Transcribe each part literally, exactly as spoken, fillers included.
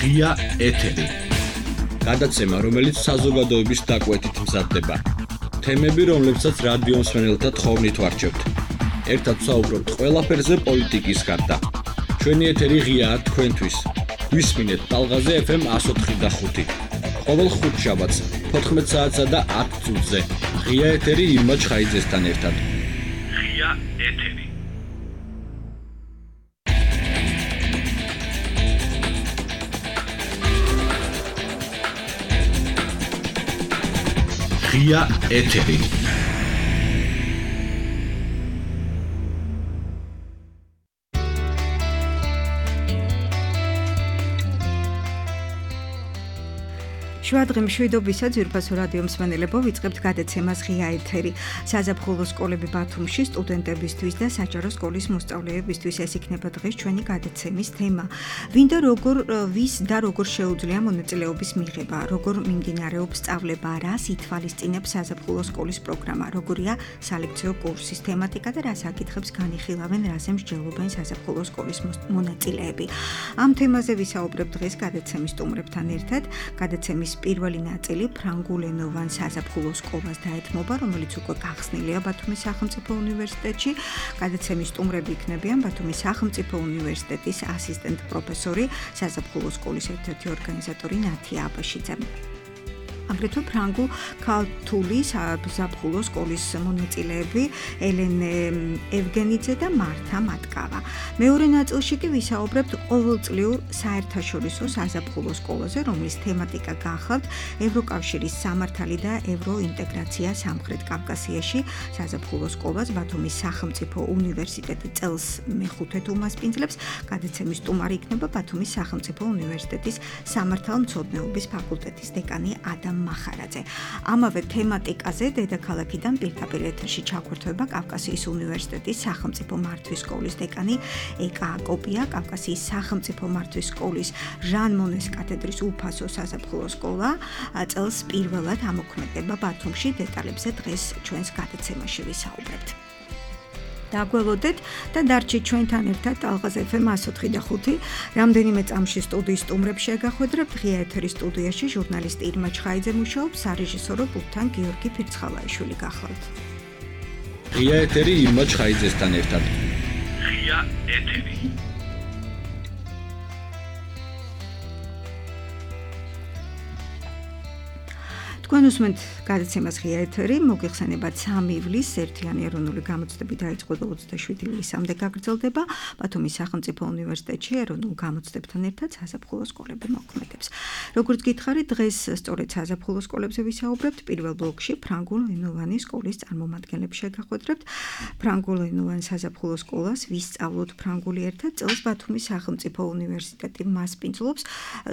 ღია ეთერი. გადაცემა, რომელიც საზოგადოების დაკვეთით მზადდება. თემები, რომლებსაც რადიო მსმენელთა თხოვნით ვარჩევთ. ერთად ვსაუბრობთ ყველაფერზე პოლიტიკის გარდა. ჩვენი ეთერი ღიაა თქვენთვის. ვისმინეთ ტალღაზე ეფ ემ one oh four და five. ყოველ ხუთშაბათს fourteen საათსა და ten წუთზე. ღია ეთერი ირმა ჩხაიძესთან ერთად. ღია ეთერი. ღია ეთერი. შვადღი მშვიდობისა ძვირფასო რადიო მსმენელებო, ვიწყებთ გადაცემას ღია ეთერი. საზაფხულო სკოლები ბათუმში სტუდენტებისთვის და საჯარო სკოლის მოსწავლეებისთვის ეს იქნება დღეს ჩვენი გადაცემის თემა. ვინდა როგორ ვის და როგორ შეუძლია მონაწილეობის მიღება, როგორ მიმდინარეობს სწავლება, რას ითვალისწინებს საზაფხულო სკოლის პროგრამა, როგორია სალექციო კურსის თემატიკა და რა საკითხებს განიხილავენ, რაზე მსჯელობენ საზაფხულო სკოლის მონაწილეები. ამ თემაზე ვისაუბრებ დღეს გადაცემის სტუმრებთან ერთად. გადაცემის პირველი ნაწილი ფრანგულენოვან საზაფხულო სკოლას დაეთმობა, რომელიც უკვე გახსნილია ბათუმის სახელმწიფო უნივერსიტეტში. გადაცემის სტუმრები იქნებიან ბათუმის სახელმწიფო უნივერსიტეტის ასისტენტ პროფესორი, საზაფხულო სკოლის ერთ-ერთი ორგანიზატორი ნათია აბაშიძე. აგრეთვე ფრანგულ ქართული საზაფხულო სკოლის მონაწილეები ელენე ევგენიძე და მართა მატკავა. მეორე ნაწილში კი ვისაუბრებთ ყოველწლიურ საერთაშორისო საზაფხულო სკოლაზე, რომლის თემატიკა გახავთ ევროკავშირის სამართალი და ევროინტეგრაცია სამხრეთ კავკასიაში. საზაფხულო სკოლას ბათუმის სახელმწიფო უნივერსიტეტი წელს მეხუთედ უმასპინძლებს. გადაცემის სტუმარი იქნება ბათუმის სახელმწიფო უნივერსიტეტის სამართალმცოდნეობის ფაკულტეტის დეკანი ადამ მახარაძე. ამავე თემატიკაზე დედაქალაქიდან პირდაპირ ეთერში ჩაგვერთვება კავკასიის უნივერსიტეტის სახელმწიფო მართვის სკოლის დეკანი ეკა აკოპია, კავკასიის სახელმწიფო მართვის სკოლის ჟან მონეს კათედრის უფასო საზაფხულო სკოლა წელს პირველად ამოქმედება ბათუმში. დეტალებზე დღეს ჩვენს გადაცემაში ვისაუბრებთ. დაგველოდეთ და დარჩით ჩვენთან ერთად ტალღაზე ეფ ემ one oh four და five. რამდენიმე წამში სტუდიის სტუმრებს შეგახვედრებთ. ღია ეთერის სტუდიაში ჟურნალისტი ირმა ჩხაიძე მუშაობს, სარეჟისორო პულტთან გიორგი ფირცხალაიშვილი გახლავთ. ღია ეთერი ირმა ჩხაიძესთან ერთად. ღია ეთერი. თქვენ უსმენთ გადაცემას ღია ეთერი, მოგიხსენებათ სამი ივლისს ერთიანი ეროვნული გამოცდები დაიწყო და ოცდაშვიდი ივლისამდე გაგრძელდება. ბათუმის სახელმწიფო უნივერსიტეტში ეროვნულ გამოცდებთან ერთად საზაფხულო სკოლები მოქმედებს. როგორც გითხარით, დღეს სწორედ საზაფხულო სკოლებზე ვისაუბრებთ. პირველ ბლოკში ფრანგულენოვანი სკოლის წარმომადგენლებს შეგახვედრებთ. ფრანგულენოვან საზაფხულო სკოლას ვისწავლოთ ფრანგული ერთად. წელს ბათუმის სახელმწიფო უნივერსიტეტი მასპინძლობს.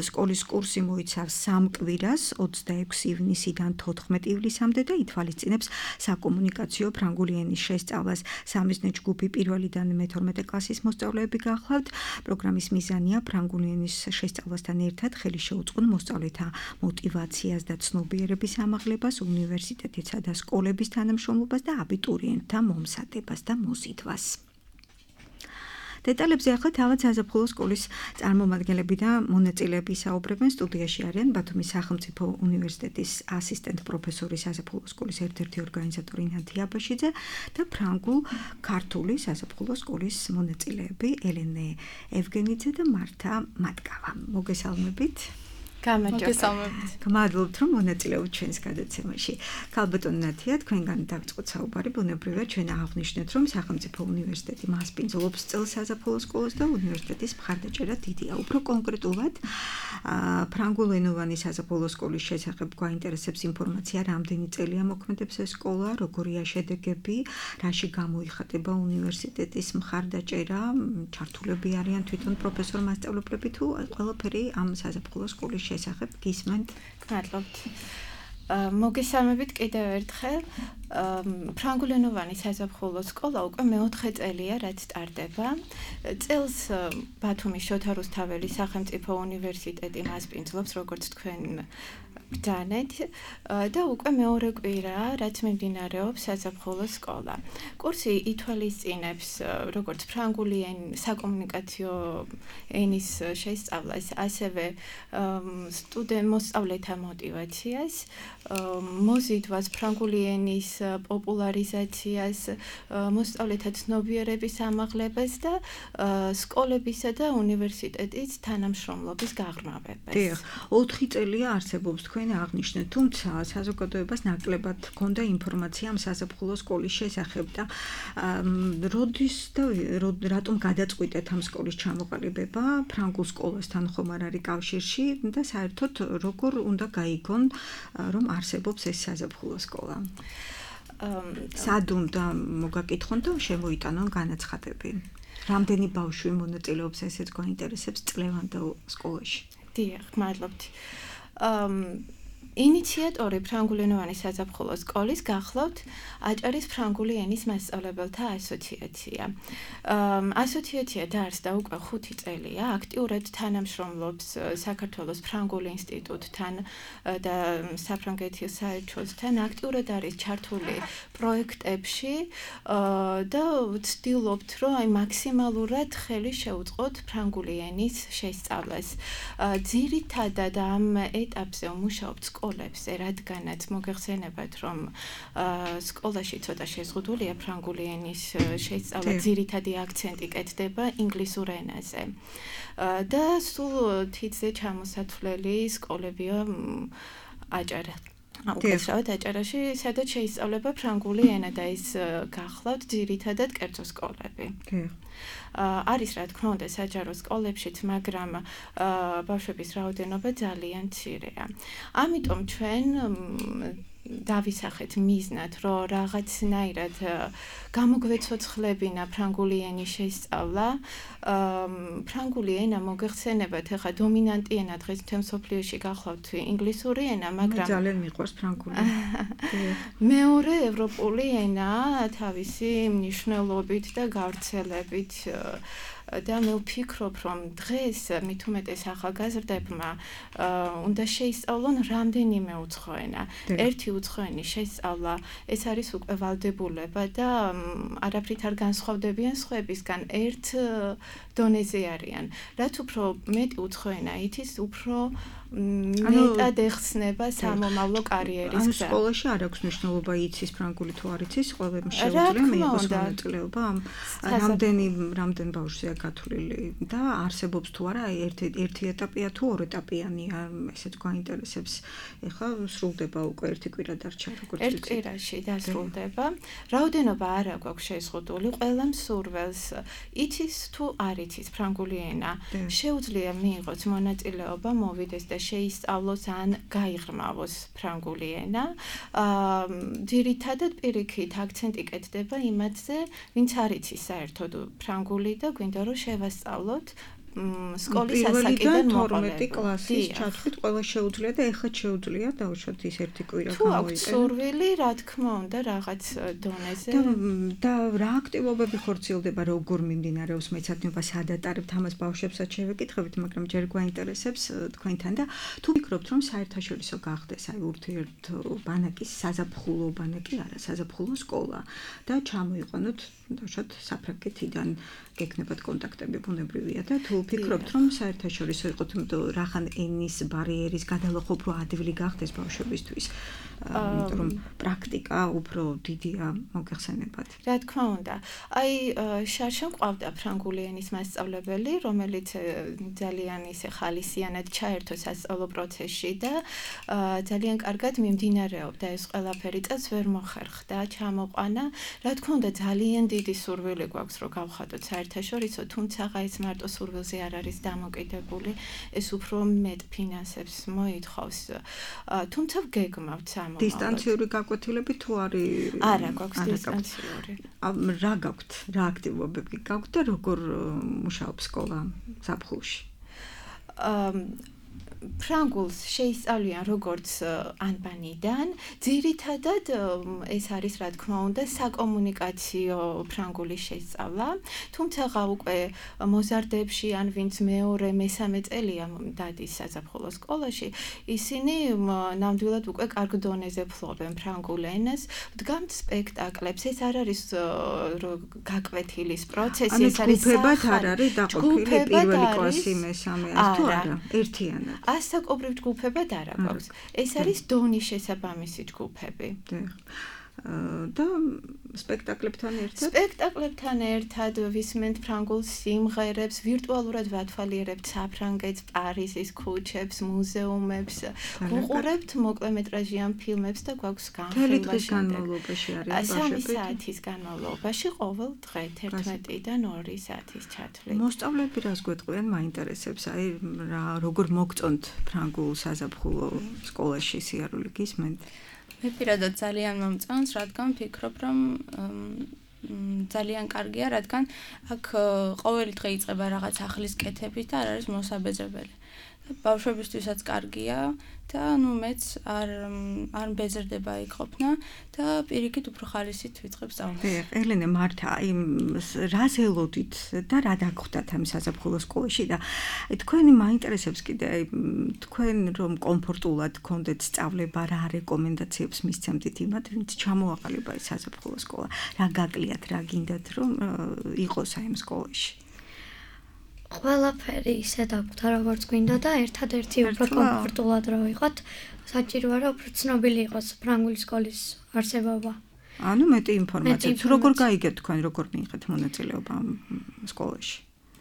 სკოლის კურსი მოიცავს სამ კვირას, ოცდაექვსი ივნისიდან თოთხმეტ ივლისამდე და ითვალისწინებს საკომუნიკაციო ფრანგული ენის შესწავლას. სამიზნე ჯგუფი პირველიდან მეთორმეტე კლასის მოსწავლეები გახლავთ. პროგრამის მიზანია ფრანგული ენის შესწავლასთან ერთად ხელი შეუწყონ მოსწავლეთა მოტივაციას და ცნობიერების ამაღლებას, უნივერსიტეტისა და სკოლების თანამშრომლობას და აბიტურიენტთა მომზადებას და მოზიდვას. დეტალებზე ახლა თავად საზაფხულო სკოლის წარმომადგენლები და მონაწილეები საუბრებენ. სტუდიაში არიან ბათუმის სახელმწიფო უნივერსიტეტის ასისტენტ პროფესორი, საზაფხულო სკოლის ერთ-ერთი ორგანიზატორი ნათია აბაშიძე და ფრანგულ ქართული საზაფხულო სკოლის მონაწილეები ელენე ევგენიძე და მართა მატკავა. მოგესალმებით. გამარჯობა. გმადლობთ, რომ მონაწილეობთ ჩვენს გადაცემაში. ქალბატონ ნათია, თქვენგან დავიწყოთ საუბარი. ბუნებრივია, ჩვენ აღვნიშნეთ, რომ სახელმწიფო უნივერსიტეტი მასპინძლობს წელს საზაფხულო სკოლას და უნივერსიტეტის მხარდაჭერა დიდია. უფრო კონკრეტულად, ფრანგულენოვანი საზაფხულო სკოლის შესახებ გვაინტერესებს ინფორმაცია, რამდენი წელია მოქმედებს ეს სკოლა, როგორია შედეგები, რაში გამოიხატება უნივერსიტეტის მხარდაჭერა, ჩართულები არიან თვითონ პროფესორ-მასწავლებლები თუ ყველაფერი ამ საზაფხულო სკოლის შესახებ გისმენთ. გმადლობთ. მოგესალმებით კიდევ ერთხელ. ფრანგულენოვანი საზაფხულო სკოლა უკვე მეოთხე წელია, რაც სტარტდება. წელს ბათუმის შოთა რუსთაველის სახელმწიფო უნივერსიტეტი მასპინძლობს, როგორც თქვენ ბრძანეთ და უკვე მეორე კვირაა, რაც მიმდინარეობს საზაფხულო სკოლა. კურსი ითვალისწინებს როგორც ფრანგული საკომუნიკაციო ენის შესწავლას, ასევე სტუდენტ მოსწავლეთა მოტივაციას, მოზიდვას, ფრანგული ენის პოპულარიზაციას, მოსწავლეთა ცნობიერების ამაღლებას და სკოლებისა და უნივერსიტეტის თანამშრომლობის გაღრმავებას. დიახ, ოთხი წელია არსებობს თქვენ აღნიშნეთ, თუმცა საზოგადოებას ნაკლებად ჰქონდა ინფორმაცია ამ საზაფხულო სკოლის შესახებ და როდის და რატომ გადაწყვიტეთ ამ სკოლის ჩამოყალიბება ფრანგულ სკოლასთან ხომ არ არის კავშირში და საერთოდ როგორ უნდა გაიგონ რომ არსებობს ეს საზაფხულო სკოლა. სად უნდა მოგაკითხონ და შემოიტანონ განაცხადები. რამდენი ბავშვი მონაწილეობს ესეც გვაინტერესებს წლევანდელ სკოლაში. დიახ, მადლობთ. ინიციატორი ფრანგულენოვანი საზაფხულო სკოლის გახლავთ აჭარის ფრანგული ენის მასწავლებელთა ასოციაცია. ასოციაცია დაარსდა უკვე ხუთი წელია, აქტიურად თანამშრომლობს საქართველოს ფრანგულ ინსტიტუტთან და საფრანგეთის საელჩოსთან, აქტიურად არის ჩართული პროექტებში და ვცდილობთ, რომ აი მაქსიმალურად ხელი შევუწყოთ ფრანგული ენის შესწავლას. ძირითადად ამ ეტაპზე მუშაობთ სკოლებზე, რადგანაც მოგეხსენებათ, რომ სკოლაში ცოტა შეზღუდულია ფრანგული ენის შესწავლა, ძირითადი აქცენტი კეთდება ინგლისურ ენაზე. და სულ თითზე ჩამოსათვლელი სკოლებია აჭარა. უკეთესად აჭარაში, სადაც შეისწავლება ფრანგული ენა და ის გახლავთ ძირითადად კერძო სკოლები. არის რა თქმა უნდა საჯარო სკოლებშიც, მაგრამ ბავშვების რაოდენობა ძალიან მცირეა. ამიტომ ჩვენ დავისახეთ მიზნად, რომ რაღაცნაირად გამოგვეცოცხლებინა ფრანგული ენის შესწავლა. ფრანგული ენა მოგეხსენებათ, ახლა დომინანტი ენა დღეს მთელ მსოფლიოში გახლავთ ინგლისური ენა, მაგრამ მე ძალიან მიყვარს ფრანგული. მეორე ევროპული ენაა თავისი მნიშვნელობით და გავრცელებით. და მე ვფიქრობ, რომ დღეს მით უმეტეს ახალგაზრდებმა უნდა შეისწავლონ რამდენიმე უცხო ენა. ერთი უცხო ენის შესწავლა, ეს არის უკვე ვალდებულება და არაფრით არ განსხვავდებიან სხვებისგან, ერთ დონეზე არიან. რაც უფრო მეტი უცხო ენა იცის, უფრო მეტად ეხსნება სამომავლო კარიერის გზა. ანუ სკოლაში არ აქვს მნიშვნელობა იცის ფრანგული თუ არ იცის, ყველამ შეუძლია მიიღოს მონაწილეობა ამ რამდენი რამდენ ბავშვია გათვლილი და არსებობს თუ არა ერთი ერთი ეტაპია თუ ორ ეტაპიანია, ესეც გვაინტერესებს. ეხლა სრულდება უკვე ერთი კვირა დარჩა, როგორც ერთ კვირაში დასრულდება. რაოდენობა არ აქვს შეზღუდული, ყველა მსურველს იცის თუ არ იცის ფრანგული ენა. შეუძლია მიიღოს მონაწილეობა, მოვიდეს და შეისწავლოს ან გაიღრმავოს ფრანგული ენა. ძირითადად პირიქით აქცენტი კეთდება იმათზე, ვინც არ იცის საერთოდ ფრანგული და გვინდა რომ შევასწავლოთ სკოლის ასაკიდან თორმეტი კლასის ჩათვლით ყველა შეუძლია და ეხლა შეუძლია დავუშვათ ის ერთი კვირა გამოიყენო. თუ აქვს სურვილი, რა თქმა უნდა, რაღაც დონეზე. და რა აქტივობები ხორციელდება, როგორ მიმდინარეობს მეცადინება, სად ატარებთ ამას ბავშვებსაც შევეკითხებით, მაგრამ ჯერ გვაინტერესებს თქვენთან და თუ ვფიქრობთ, რომ საერთაშორისო გახდეს აი ურთიერთობანაკის საზაფხულო ბანაკი არა, საზაფხულო სკოლა და ჩამოიყვანოთ დავუშვათ საფრანგეთიდან გეკნებათ კონტაქტები ბუნებრივია და თუ ვფიქრობთ, რომ საერთაშორისო იყოთ რახან ენის ბარიერის გადალახვა უფრო ადვილი გახდეს ბავშვებისთვის, იმიტომ რომ პრაქტიკა უფრო დიდია მოგეხსენებათ. რა თქმა უნდა. აი შარშან ყავდა ფრანგული ენის მასწავლებელი, რომელიც ძალიან ისე ხალისიანად ჩაერთო სასწავლო პროცესში და ძალიან კარგად მიმდინარეობდა ეს ყველაფერი, წელს ვერ მოხერხდა, ჩამოყვანა. რა თქმა უნდა, ძალიან დიდი სურვილი გვაქვს, რომ გავხადოთ საერთაშორისო, თუმცა ეს მარტო სურვილზე არ არის დამოკიდებული, ეს უფრო მეტ ფინანსებს მოითხოვს. თუმცა გეგმავთ სამომავლოდ. დისტანციური გაკვეთილები თუ არის? არა, გვაქვს დისტანციური. რა გაქვთ? რა აქტივობები გაქვთ და როგორ მუშაობს სკოლა ზაფხულში? ფრანგულს შეისწავლიან როგორც ანბანიდან, ძირითადად ეს არის რა თქმა უნდა საკომუნიკაციო ფრანგულის შესწავლა, თუმცა უკვე მოზარდებში ან ვინც მეორე, მესამე წელია დადის საზაფხულო სკოლაში, ისინი ნამდვილად უკვე კარგ დონეზე ფლობენ ფრანგულ ენას, დგამთ სპექტაკლებს, ეს არ არის გაკვეთილის პროცესი, ეს არის ჯგუფებად არ არის დაყოფილი პირველი კლასი, მესამე ეს თუ არა, ერთიანად. ასაკობრივ ჯგუფებად არ აქვს. ეს არის დონის შესაბამისი ჯგუფები. და სპექტაკლებთან ერთად სპექტაკლებთან ერთად ვისმენთ ფრანგულ სიმღერებს, ვირტუალურად ვათვალიერებთ საფრანგეთს, პარიზის ქუჩებს, მუზეუმებს, ვუყურებთ მოკლემეტრაჟიან ფილმებს და გვაქვს განხილვა განმავლობაში არის სამი საათის განმავლობაში ყოველ დღე თერთმეტიდან ორი საათის ჩათვლით. მოსწავლეები რას გვეტყვიან, მაინტერესებს, აი რა როგორ მოგწონთ ფრანგულ საზაფხულო სკოლაში სიარული გისმენთ? მე პირადად ძალიან მომწონს, რადგან ვფიქრობ, რომ ძალიან კარგია, რადგან აქ ყოველი დღე იწყება რაღაც ახლის კეთებით და არ არის მოსაბეზრებელი. ბავშვებისთვისაც კარგია და ნუ მეც არ არ მბეზრდება იქ ყოფნა და პირიქით უფრო ხალისით ვიწყებ სწავლას. ელენე, მართა, აი რას ელოდით და რა დაგხვდათ ამ საზაფხულო სკოლაში და თქვენი მაინტერესებს კიდე აი თქვენ რომ კომფორტულად გქონდეთ სწავლება, რა რეკომენდაციებს მისცემთ იმათ, ვინც ჩამოაყალიბა ეს საზაფხულო სკოლა, რა გაკლიათ, რა გინდათ რომ იყოს აი ამ სკოლაში? ყველაფერი ისე დაგვდა, როგორც გვინდა და ერთადერთი უფრო კომფორტულად რა ვიყოთ, საჭიროა რომ უფრო ცნობილი იყოს ფრანგული სკოლის არსებობა. ანუ მეტი ინფორმაციაც, როგორ გაიგეთ თქვენ, როგორ მიიღეთ მონაწილეობა ამ სკოლაში?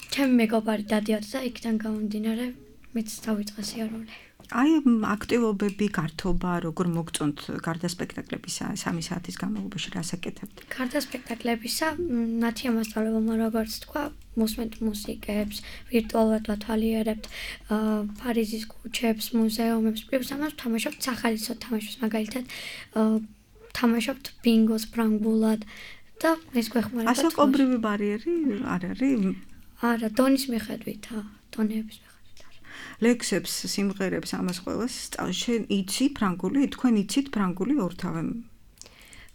ჩემი მეგობარი დადიოდა და იქიდან გამომდინარე მეც დავიწყე სიარული. აი აქტივობები, გართობა, როგორ მოგწონთ გარდა სპექტაკლებისა სამი საათის განმავლობაში რას აკეთებთ? გარდა სპექტაკლებისა, ნათია მასწავლებელმა როგორც თქვა, მოსმენთ მუსიკებს, ვირტუალურად ვათვალიერებთ პარიზის ქუჩებს, მუზეუმებს, პლუს ამას ვთამაშობთ სახალისო თამაშებს, მაგალითად ვთამაშობთ ბინგოს ფრანგულად და ეს გვეხმარება. ასაკობრივი ბარიერი არ არის? არა, დონის მიხედვითაა, დონეების მიხედვით. ლექსებს, სიმღერებს, ამას ყველას შენ იცი ფრანგული? თქვენ იცით ფრანგული ორთავე?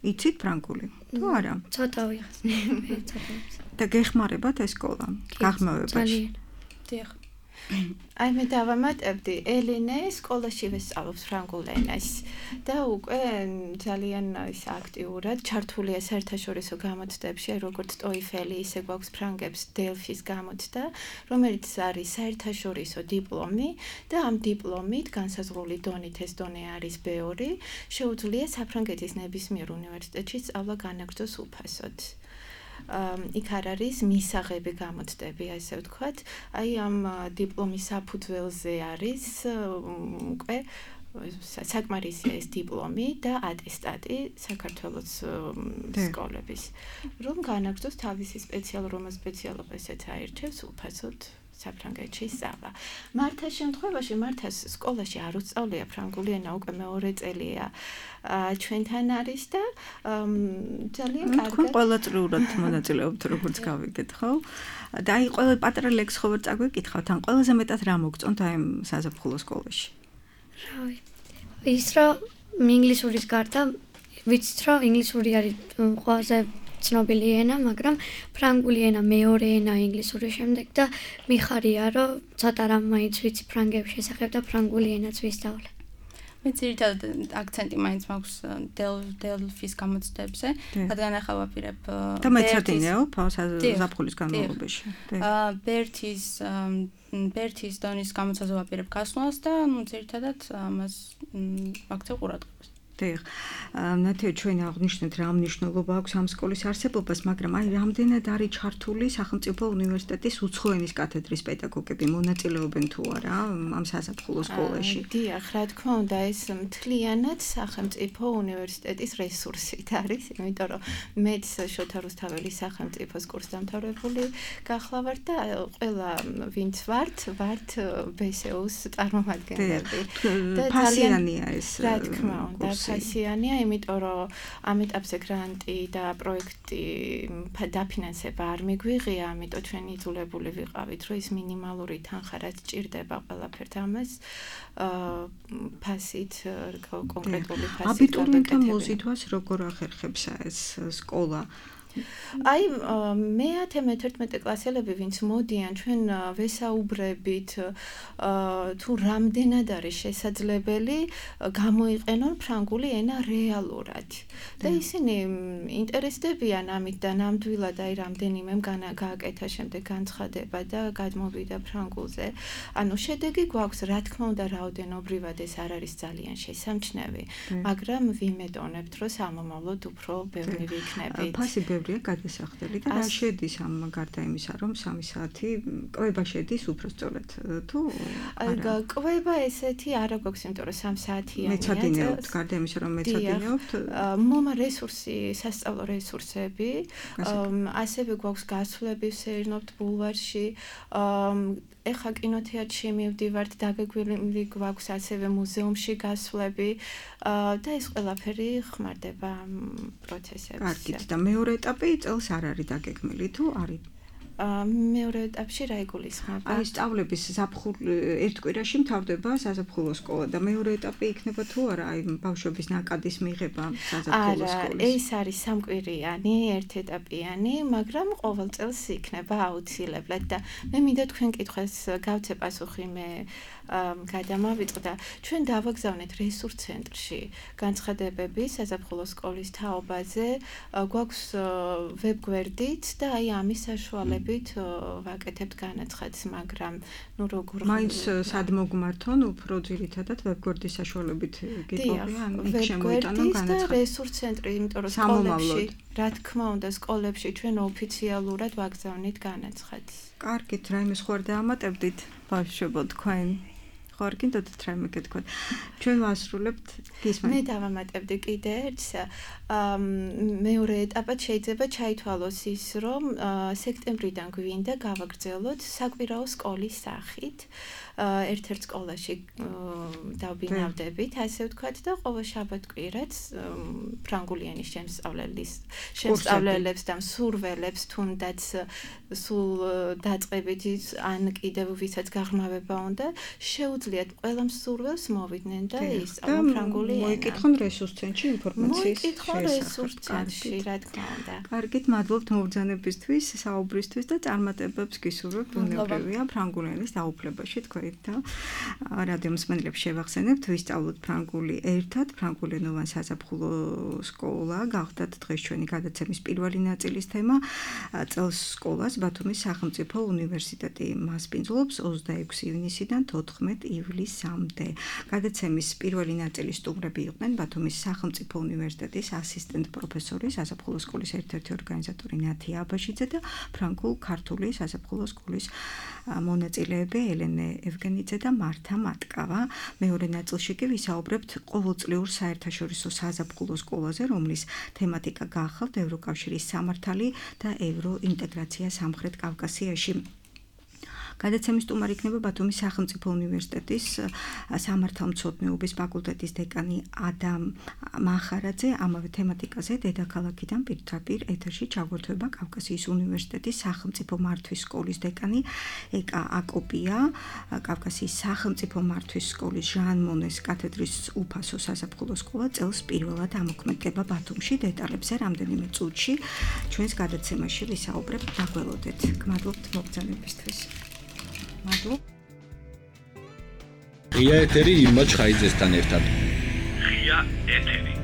იცით ფრანგული? თუ არა? ცოტა ვიღაც. მე ცოტა. და გეხმარებათ ეს სკოლა? გაღმავებაში? დიახ. აი მე დავამატებდი, ელენე სკოლაში ვესწავლობს ფრანგულ ენას და უკვე ძალიან ის აქტიურად ჩართულია საერთაშორისო გამოცდებში, აი როგორც TOEFL-ი, ისე გვაქვს ფრანგებს დელფის გამოცდა, რომელიც არის საერთაშორისო დიპლომი და ამ დიპლომით განსაზღვრული დონით ეს დონე არის ბე ორი, შეუძლია საფრანგეთის ნებისმიერ უნივერსიტეტში სწავლა განაგრძოს უფასოდ. იქ არ არის მისაღები გამოცდები, ასე ვთქვათ. აი ამ დიპლომის საფუძველზე არის უკვე საკმარისია ეს დიპლომი და ატესტატი საქართველოს სკოლების. რომ განაგრძოს თავისი სპეციალურობა, სპეციალობა ესეც აირჩევს უფასოდ საფრანგეთში სწავლა. მართას შემთხვევაში, მართას სკოლაში არ უსწავლია ფრანგული ენა, უკვე მეორე წელია ჩვენთან არის და ძალიან კარგად. თქვენ ყოველწლიურად მონაწილეობთ, როგორც გავიგეთ, ხო? და აი ყველა პატარა ლექს ხო ვერ წაგვიკითხავთ, ან ყველაზე მეტად რა მოგწონთ აი ამ საზაფხულო სკოლაში? რავი. ის რომ ინგლისურის გარდა ვიცით რომ ინგლისური არის ყველაზე ცნობილი ენა, მაგრამ ფრანგული ენა მეორე ენა ინგლისურის შემდეგ და მიხარია რომ ცოტა რამ მაინც ვიცი ფრანგების შესახებ და ფრანგული ენაც ვისწავლე. მე ძირითადად აქცენტი მაინც მაქვს დელფის გამოცდებზე, რადგან ახლა ვაპირებ და მეცადინეო საზაფხულის განმავლობაში. ბერთის ბერთის დონის გამოცდაზე ვაპირებ გასვლას და ნუ ძირითადად ამას ვაქცევ ყურადღებას. დიახ. ნათია, ჩვენ აღნიშნეთ რა მნიშვნელობა აქვს ამ სკოლის არსებობას, მაგრამ აი რამდენად არის ჩართული სახელმწიფო უნივერსიტეტის უცხო ენის კათედრის პედაგოგები, მონაწილეობენ თუ არა ამ საზაფხულო სკოლაში? დიახ, რა თქმა უნდა, ეს მთლიანად სახელმწიფო უნივერსიტეტის რესურსით არის, იმიტომ რომ მეც შოთა რუსთაველის სახელმწიფოს კურსდამთავრებული გახლავართ და ყველა ვინც ვართ, ვართ ბე ეს იუს წარმომადგენლები. და ფასიანია ეს. რა თქმა უნდა, ფასიანია, იმიტომ რომ ამ ეტაპზე გრანტი და პროექტი დაფინანსება არ მიგვიღია, ამიტომ ჩვენ იძულებული ვიყავით, რომ ის მინიმალური თანხა რაც ჭირდება ყველაფერთ ამას ფასით კონკრეტული ფასით. აბიტურიენტთა მოზიდვას როგორ ახერხებს ეს სკოლა? აი მეათე მეთერთმეტე კლასელები ვინც მოდიან ჩვენ ვესაუბრებით თუ რამდენად არის შესაძლებელი გამოიყენონ ფრანგული ენა რეალურად და ისინი ინტერესდებიან ამით და ნამდვილად აი რამდენიმემ გააკეთა შემდეგ განცხადება და გადმოვიდა ფრანგულზე ანუ შედეგი გვაქვს რა თქმა უნდა რაოდენობრივად ეს არ არის ძალიან შესამჩნევი მაგრამ ვიმედონებთ რომ სამომავლოდ უფრო ბევრი ვიქნებით ბევრია გადასახდელი და რა შედის ამ გარდა იმისა, რომ სამი საათი კვება შედის უფრო სწორად თუ არა? კვება ესეთი არა გვაქვს, იმიტომ რომ სამი საათიანია. მეცადინეობთ, გარდა იმისა, რომ მეცადინეობთ. მომა რესურსი, სასწავლო რესურსები, ასევე გვაქვს გასვლები ვსეირნობთ ბულვარში, ეხა კინოთეატრში მივდივართ, დაგეგმილი გვაქვს ასევე მუზეუმში გასვლები და ეს ყველაფერი ხმარდება პროცესებში. კარგით და მეორე ეტაპი წელს არ არის დაგეგმილი თუ არის? მეორე ეტაპში რა იგულისხმება? აი სწავლების ზაფხულ ერთ კვირაში მთავრდება საზაფხულო სკოლა და მეორე ეტაპი იქნება თუ არა აი ბავშვების ნაკადის მიღება საზაფხულო სკოლის? არა, ეს არის სამკვირიანი, ერთეტაპიანი, მაგრამ ყოველ წელს იქნება აუცილებლად და მე მინდა თქვენ კითხვას გავცე პასუხი მე გადამავიწყდა. ჩვენ დავაგზავნეთ რესურს ცენტრში განცხადებები საზაფხულო სკოლის თაობაზე, გვაქვს ვებგვერდით და აი ამის საშუალებით ვაკეთებთ განაცხადს, მაგრამ ნუ როგორ მაინც სად მოგმართონ უფრო ძირითადად ვებგვერდის საშუალებით გიტყვია, ან იქ შემოიტანონ განაცხადი. და რესურს ცენტრი, იმიტომ რომ სკოლებში, რა თქმა უნდა, სკოლებში ჩვენ ოფიციალურად ვაგზავნით განაცხადს. კარგით, რაიმე სხვა არ დაამატებდით ბავშვებო თქვენ? ხარ კიდევ რაიმე გეთქვათ. ჩვენ ვასრულებთ გისმენთ. მე დავამატებდი კიდე ერთს. მეორე ეტაპად შეიძლება ჩაითვალოს ის, რომ სექტემბრიდან გვინდა გავაგრძელოთ საკვირაო სკოლის სახით. ერთ-ერთ სკოლაში დავბინავდებით, ასე ვთქვათ და ყოველ შაბათ-კვირაც ფრანგული ენის შემსწავლელის შემსწავლელებს და მსურველებს თუნდაც სულ დაწყებით ან კიდევ ვისაც გაღრმავება უნდა, შეუძლიათ ყველა მსურველს მოვიდნენ და ისწავლონ ფრანგული ენა. მოიკითხონ რესურს ცენტრში ინფორმაციის შესახებ. მოიკითხონ რესურს ცენტრში, რა თქმა უნდა. კარგით, მადლობთ მობრძანებისთვის, საუბრისთვის და წარმატებებს გისურვებთ ბუნებრივია ფრანგული ენის დაუფლებაში თქვენ და რადიო მსმენელებს შევახსენებთ, ვისწავლოთ ფრანგული ერთად, ფრანგულენოვან საზაფხულო სკოლა, გახდათ დღეს ჩვენი გადაცემის პირველი ნაწილის თემა. წელს სკოლას ბათუმის სახელმწიფო უნივერსიტეტი მასპინძლობს ოცდაექვსი ივნისიდან თოთხმეტ ივლისამდე. გადაცემის პირველი ნაწილის სტუმრები იყვნენ ბათუმის სახელმწიფო უნივერსიტეტის ასისტენტ პროფესორი, საზაფხულო სკოლის ერთ-ერთი ორგანიზატორი ნათია აბაშიძე და ფრანგულ-ქართული საზაფხულო სკოლის მონაწილეები ელენე ევგენიძე და მართა მატკავა. მეორე ნაწილში კი ვისაუბრებთ ყოველწლიურ საერთაშორისო საზაფხულო სკოლაზე, რომლის თემატიკა გახავთ ევროკავშირის სამართალი და ევროინტეგრაცია სამხრეთ კავკასიაში. გადაცემის სტუმარი იქნება ბათუმის სახელმწიფო უნივერსიტეტის სამართალმცოდნეობის ფაკულტეტის დეკანი ადამ მახარაძე. ამავე თემატიკაზე დედაქალაქიდან პირდაპირ ეთერში ჩაგვერთვება კავკასიის უნივერსიტეტის სახელმწიფო მართვის სკოლის დეკანი ეკა აკოპია, კავკასიის სახელმწიფო მართვის სკოლის ჟან მონეს კათედრის უფასო საზაფხულო სკოლა წელს პირველად ამოქმედდება ბათუმში. დეტალებზე რამდენიმე წუთში ჩვენს გადაცემაში ვისაუბრებთ, დაგველოდეთ. გმადლობთ მოგზაურობისთვის. მადლობ. ღია ეთერი ირმა ჩხაიძესთან ერთად. ღია ეთერი.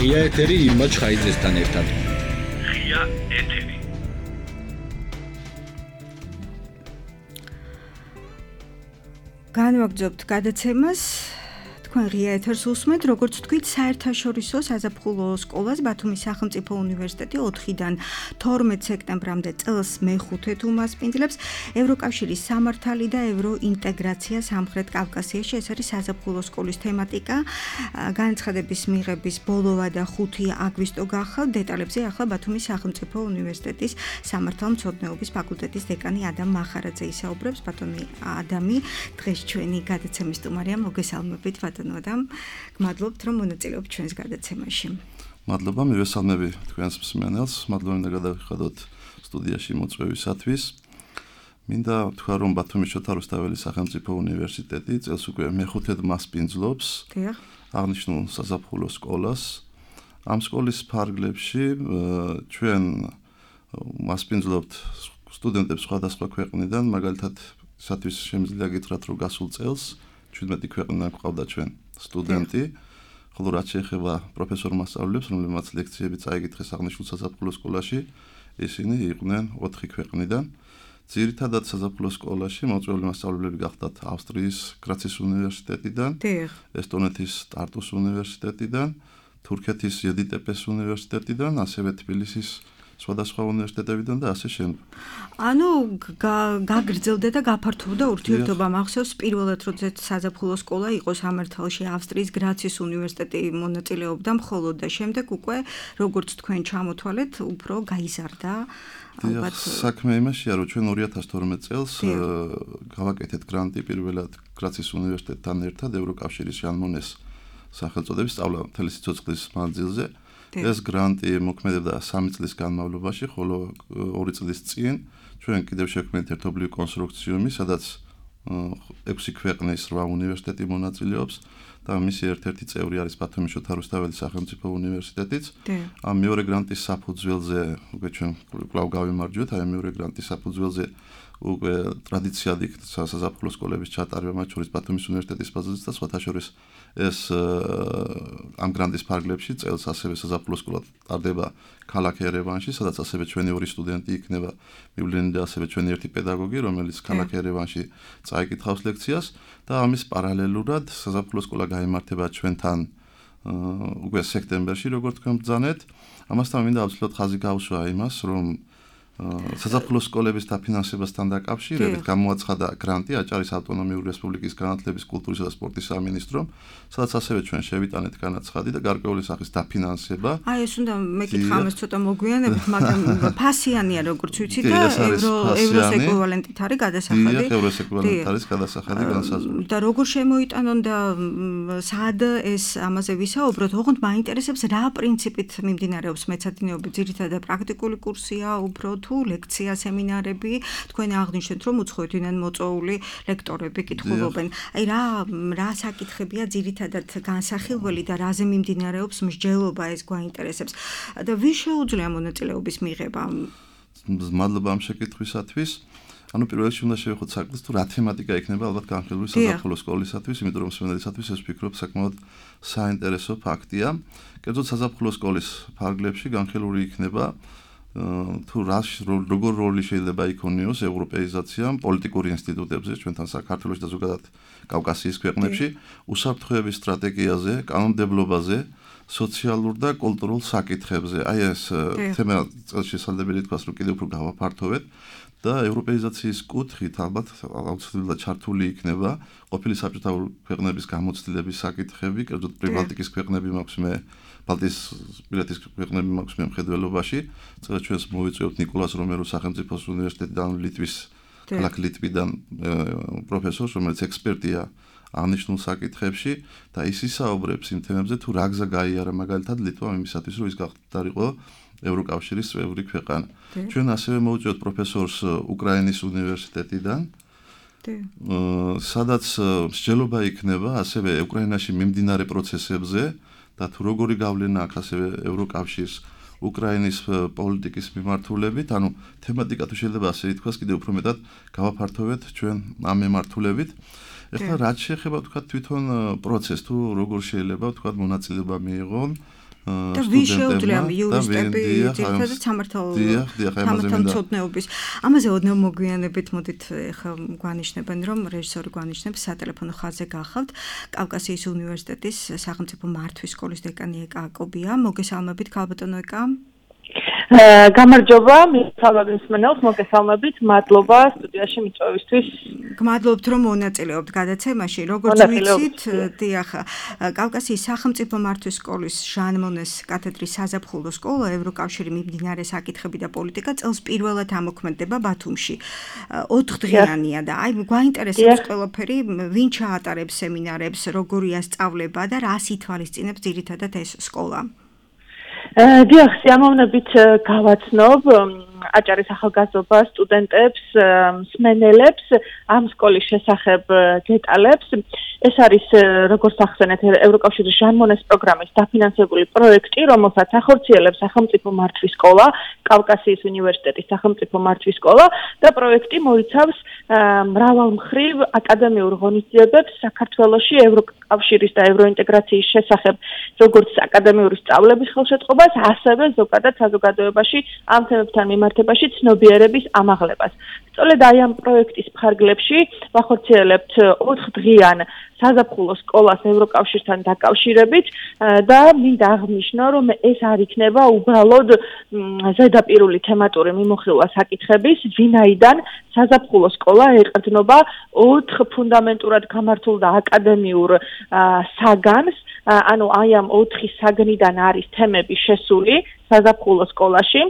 ღია ეთერი იმმა ჩხაიძესთან ერთად. ღია ეთერი. განვაგრძობთ გადაცემას. თქვენ ღია ეთერს უსმენთ, როგორც თქვით, საერთაშორისო საზაფხულო სკოლას ბათუმის სახელმწიფო უნივერსიტეტი ოთხიდან თორმეტ სექტემბრამდე წელს მეხუთედ უმასპინძლებს. ევროკავშირის სამართალი და ევროინტეგრაცია სამხრეთ კავკასიაში, ეს არის საზაფხულო სკოლის თემატიკა. განცხადების მიღების ბოლოვა და ხუთი აგვისტო გახავთ. დეტალებზე ახლა ბათუმის სახელმწიფო უნივერსიტეტის სამართალმცოდნეობის ფაკულტეტის დეკანი ადამ მახარაძე ისაუბრებს. ბატონი ადამი, დღეს ჩვენი გადაცემის სტუმარია, მოგესალმებით ბატონო. გმადლობთ რომ მონაწილეობთ ჩვენს გადაცემაში. მადლობა, მივესალმები თქვენს მსმენელს, მადლობა მინდა გადავიხადოთ სტუდიაში მოწვევისათვის. მინდა თქვა რომ ბათუმის შოთა რუსთაველის სახელმწიფო უნივერსიტეტი წელს უკვე მეხუთედ მასპინძლობს აღნიშნულ საზაფხულო სკოლას. ამ სკოლის ფარგლებში ჩვენ მასპინძლობთ სტუდენტებს სხვადასხვა ქვეყნიდან, მაგალითად, სათვის შემიძლია გითხრათ რომ გასულ წელს ჩვიდმეტი ქვეყნიდან გვყავდა ჩვენ სტუდენტი, ხოლო რაც შეეხება პროფესორ მასწავლებლებს, რომლებმაც ლექციები წაიკითხეს აღნიშნულ საზაფხულო სკოლაში, ისინი იყვნენ ოთხი ქვეყნიდან. ძირითადად საზაფხულო სკოლაში მოწვეული მასწავლებლები გახდათ ავსტრიის გრაცის უნივერსიტეტიდან, ესტონეთის ტარტუს უნივერსიტეტიდან, თურქეთის იედიტეპეს უნივერსიტეტიდან, ასევე თბილისის სხვადასხვა უნივერსიტეტებიდან და ასე შემდეგ. ანუ გაგრძელდა და გაფართოვდა ურთიერთობა. მახსოვს პირველად როდესაც საზაფხულო სკოლა იყო სამართალში ავსტრიის გრაცის უნივერსიტეტი მონაწილეობდა მხოლოდ და შემდეგ უკვე როგორც თქვენ ჩამოთვალეთ, უფრო გაიზარდა. ალბათ საქმე იმაშია, რომ ჩვენ ორი ათას თორმეტ წელს გავაკეთეთ გრანტი პირველად გრაცის უნივერსიტეტთან ერთად ევროკავშირის ჟან მონეს სახელწოდების სწავლა მთელი სიცოცხლის მანძილზე. ეს გრანტი მოქმედებდა სამი წლის განმავლობაში, ხოლო ორი წლის წინ ჩვენ კიდევ შევქმნით ერთობლივი კონსორციუმი, სადაც ექვსი ქვეყნის რვა უნივერსიტეტი მონაწილეობს და მისი ერთ-ერთი წევრი არის ბათუმის შოთა რუსთაველის სახელმწიფო უნივერსიტეტიც. ამ მეორე გრანტის საფუძველზე უკვე ჩვენ კვლავ გავიმარჯვეთ, აი მეორე გრანტის საფუძველზე უკვე ტრადიციად იქცა საზაფხულო სკოლების ჩატარება, მათ შორის ბათუმის უნივერსიტეტის ბაზაზე და სხვათა შორის ეს ამ გრანტის ფარგლებში წელს ასევე საზაფხულო სკოლა ტარდება ქალაქ ერევანში, სადაც ასევე ჩვენი ორი სტუდენტი იქნება მივლინი და ასევე ჩვენი ერთი პედაგოგი, რომელიც ქალაქ ერევანში წაიკითხავს ლექციას და ამის პარალელურად საზაფხულო სკოლა გაიმართება ჩვენთან უკვე სექტემბერში, როგორც თქვენ ბრძანეთ. ამასთან მინდა აუცილებლად ხაზი გავუსვა იმას, რომ საზაფხულო სკოლების დაფინანსებასთან დაკავშირებით გამოაცხადა გრანტი აჭარის ავტონომიური რესპუბლიკის განათლების, კულტურისა და სპორტის სამინისტრომ, სადაც ასევე ჩვენ შევიტანეთ განაცხადი და გარკვეული სახის დაფინანსება. აი ეს უნდა მეკითხა ამას ცოტა მოგვიანებით, მაგრამ ფასიანია როგორც ვიცი და ევროს ეკვივალენტით არის გადასახადი. დიახ, ევროს ეკვივალენტით არის გადასახადი განსაზღვრული. და როგორ შემოიტანონ და სად ეს ამაზე ვისაუბროთ, ოღონდ მაინტერესებს რა პრინციპით მიმდინარეობს მეცადინეობა, ძირითადად პრაქტიკული კურსია, უფრო თუ ლექცია, სემინარები, თქვენ აღნიშნეთ, რომ უცხოეთიდან მოწვეული ლექტორები კითხულობენ. აი რა რა საკითხებია ძირითადად განსახილველი და რაზე მიმდინარეობს მსჯელობა, ეს გვაინტერესებს. და ვის შეუძლია მონაწილეობის მიღება? მადლობა ამ შეკითხვისათვის. ანუ პირველ რიგში უნდა შევეხოთ საქმეს, თუ რა თემატიკა იქნება ალბათ განხილული საზაფხულო სკოლისათვის, იმიტომ რომ სმენელისათვის ეს ვფიქრობ საკმაოდ საინტერესო ფაქტია. კერძოდ საზაფხულო სკოლის ფარგლებში განხილული იქნება თუ როგორ როლი შეიძლება იქონიოს ევროპეიზაციამ პოლიტიკური ინსტიტუტებზე, ჩვენთან საქართველოში და ზოგადად კავკასიის ქვეყნებში, უსაფრთხოების სტრატეგიაზე, კანონმდებლობაზე, სოციალურ და კულტურულ საკითხებზე. აი ეს თემა შესაძლებელი თქვას, რომ კიდევ უფრო გავაფართოვეთ და ევროპეიზაციის კუთხით ალბათ აუცილებლად ჩართული იქნება ყოფილი საბჭოთა ქვეყნების გამოცდილების საკითხები, კერძოდ პრიბალტიკის ქვეყნები მაქვს მე ბალტიისპირეთის ქვეყნები მაქვს მე მხედველობაში. წელს ჩვენს მოვიწვევთ ნიკოლას რომეროს სახელმწიფოს უნივერსიტეტიდან, ლიტვის ქალაქ ლიტვიდან პროფესორს, რომელიც ექსპერტია აღნიშნულ საკითხებში და ის ისაუბრებს იმ თემებზე, თუ რა გზა გაიარა მაგალითად ლიტვამ იმისათვის, რომ ის გახდარიყო ევროკავშირის წევრი ქვეყანა. ჩვენ ასევე მოვიწვევთ პროფესორს უკრაინის უნივერსიტეტიდან, სადაც მსჯელობა იქნება ასევე უკრაინაში მიმდინარე პროცესებზე და თუ როგორი გავლენა აქვს ასევე ევროკავშირს უკრაინის პოლიტიკის მიმართულებით, ანუ თემატიკა თუ შეიძლება ასე ითქვას, კიდევ უფრო მეტად გავაფართოვეთ ჩვენ ამ მიმართულებით. ეხლა რაც შეეხება თქვა თვითონ პროცესს, თუ როგორ შეიძლება თქვა მონაწილეობა მიიღონ და ვის შეუძლია იურისტები ძირითადად სამართალმცოდნეობის ამაზე ოდნავ მოგვიანებით მოდით ხა გვანიშნებენ რომ რეჟისორი გვანიშნებს სატელეფონო ხაზზე გახავთ კავკასიის უნივერსიტეტის სახელმწიფო მართვის სკოლის დეკანი ეკა აკობია მოგესალმებით ქალბატონო ეკა გამარჯობა მისალმებით მსმენელს მოგესალმებით მადლობა სტუდიაში მიწვევისთვის გმადლობთ რომ მონაწილეობთ გადაცემაში როგორც ვიცით დიახ კავკასიის სახელმწიფო მართვის სკოლის ჟან მონეს კათედრის საზაფხულო სკოლა ევროკავშირი მიმდინარე საკითხები და პოლიტიკა წელს პირველად ამოქმედდება ბათუმში ოთხდღიანია და აი გვაინტერესებს ყველაფერი ვინ ჩაატარებს სემინარებს როგორია სწავლება და რას ითვალისწინებს ძირითადად ეს სკოლა დიახ, სიამოვნებით გავაცნობ აჭარის ახალგაზრდა სტუდენტებს, მსმენელებს ამ სკოლის შესახებ დეტალებს. ეს არის როგორც ახსენეთ ევროკავშირის ჟან მონეს პროგრამის დაფინანსებული პროექტი, რომელსაც ახორციელებს სახელმწიფო მართვის სკოლა, კავკასიის უნივერსიტეტის სახელმწიფო მართვის სკოლა და პროექტი მოიცავს მრავალმხრივ აკადემიურ ღონისძიებებს საქართველოში ევროკავშირის და ევროინტეგრაციის შესახებ, როგორც აკადემიური სწავლების ხელშეწყობას, ასევე ზოგადად საზოგადოებაში ამ თემებთან მიმართებაში ცნობიერების ამაღლებას. სწორედ აი ამ პროექტის ფარგლებში ვახორციელებთ ოთხდღიან საზაფხულო სკოლას ევროკავშირთან დაკავშირებით და მინდა აღნიშნო, რომ ეს არ იქნება უბრალოდ ზედაპირული თემატური მიმოხილვა საკითხების, ვინაიდან საზაფხულო სკოლა ეყრდნობა ოთხ ფუნდამენტურად გამართულ და აკადემიურ საგანს, ანუ აი ამ ოთხი საგნიდან არის თემები შესული საზაფხულო სკოლაში.